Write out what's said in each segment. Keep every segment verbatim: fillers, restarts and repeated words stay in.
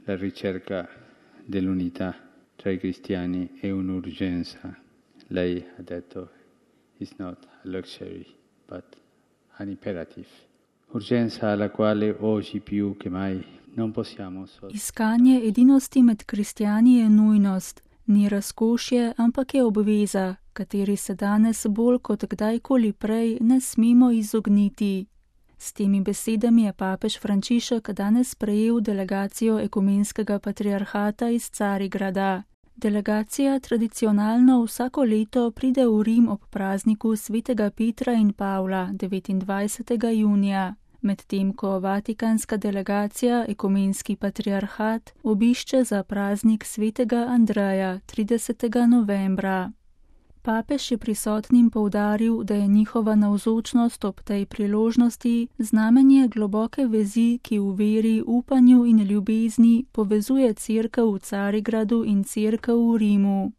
La ricerca dell'unità tra i cristiani è un'urgenza. Lei ha detto, it's not a luxury, but an imperative. Urgenza alla quale oggi più che mai non possiamo sottovalutare. Iskanje edinosti med kristjani je nujnost, ni razkošje, ampak je obveza, kateri se danes bolj kot kdajkoli prej ne smemo izogniti. S temi besedami je papež Frančišek danes prejel delegacijo ekumenskega patriarhata iz Carigrada. Delegacija tradicionalno vsako leto pride v Rim ob prazniku svetega Petra in Pavla devetindvajsetega junija, medtem ko vatikanska delegacija ekumenski patriarhat obišče za praznik svetega Andreja tridesetega novembra. Papež je prisotnim poudaril, da je njihova navzočnost ob tej priložnosti znamenje globoke vezi, ki v veri, upanju in ljubezni povezuje cerkev v Carigradu in cerkev v Rimu.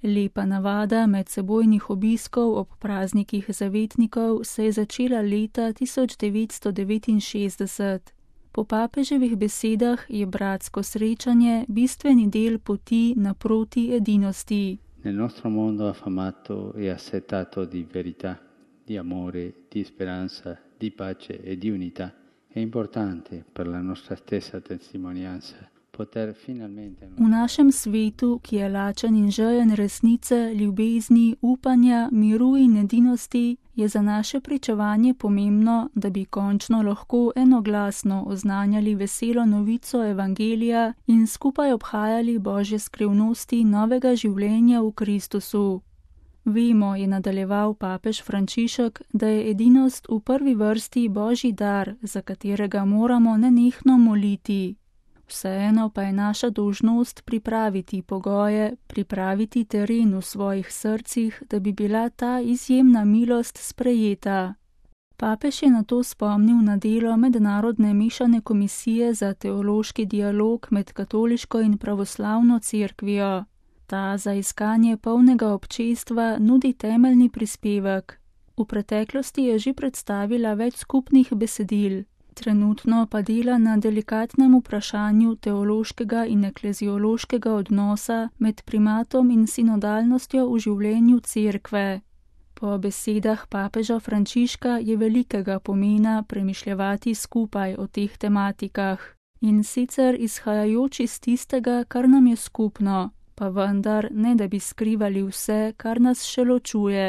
Lepa navada medsebojnih obiskov ob praznikih zavetnikov se je začela leta tisoč devetsto devetinšestdeset. Po papeževih besedah je bratsko srečanje bistveni del poti naproti edinosti. Nel nostro mondo affamato e assetato di verità, di amore, di speranza, di pace e di unità, è importante per la nostra stessa testimonianza poter finalmente... V našem svetu, ki je lačen in žejen resnice, ljubezni, upanja, miru in edinosti, je za naše pričevanje pomembno, da bi končno lahko enoglasno oznanjali veselo novico evangelija in skupaj obhajali Božje skrivnosti novega življenja v Kristusu. Vemo, je nadaljeval papež Frančišek, da je edinost v prvi vrsti Božji dar, za katerega moramo nenehno moliti. Vseeno pa je naša dolžnost pripraviti pogoje, pripraviti teren v svojih srcih, da bi bila ta izjemna milost sprejeta. Papež je nato spomnil na delo Mednarodne mešane komisije za teološki dialog med katoliško in pravoslavno cerkvijo. Ta za iskanje polnega občestva nudi temeljni prispevek. V preteklosti je že predstavila več skupnih besedil. Trenutno pa dela na delikatnem vprašanju teološkega in ekleziološkega odnosa med primatom in sinodalnostjo v življenju cerkve. Po besedah papeža Frančiška je velikega pomena premišljevati skupaj o teh tematikah, in sicer izhajajoč iz tistega, kar nam je skupno, pa vendar ne da bi skrivali vse, kar nas še ločuje.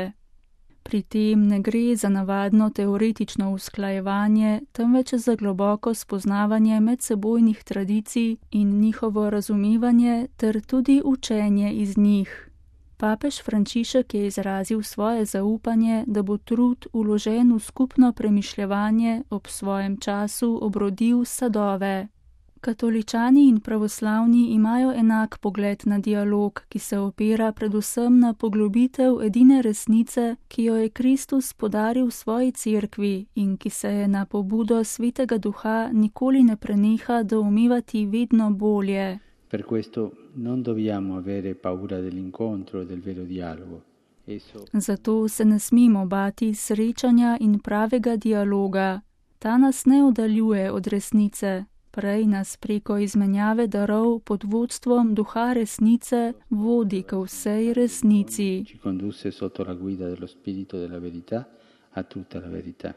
Pri tem ne gre za navadno teoretično usklajevanje, temveč za globoko spoznavanje medsebojnih tradicij in njihovo razumevanje ter tudi učenje iz njih. Papež Frančišek je izrazil svoje zaupanje, da bo trud vložen v skupno premišljevanje ob svojem času obrodil sadove. Katoličani in pravoslavni imajo enak pogled na dialog, ki se opira predvsem na poglobitev edine resnice, ki jo je Kristus podaril svoji cerkvi in ki se je na pobudo Svetega Duha nikoli ne preneha doumevati vedno bolje. Per questo non dobbiamo avere paura dell'incontro e del vero dialogo. Esso... Zato se ne smemo bati srečanja in pravega dialoga. Ta nas ne oddaljuje od resnice. Prej nas preko izmenjave darov pod vodstvom Duha resnice vodi k vsej resnici. Ci condusse sotto la guida dello Spirito della verità a tutta la verità.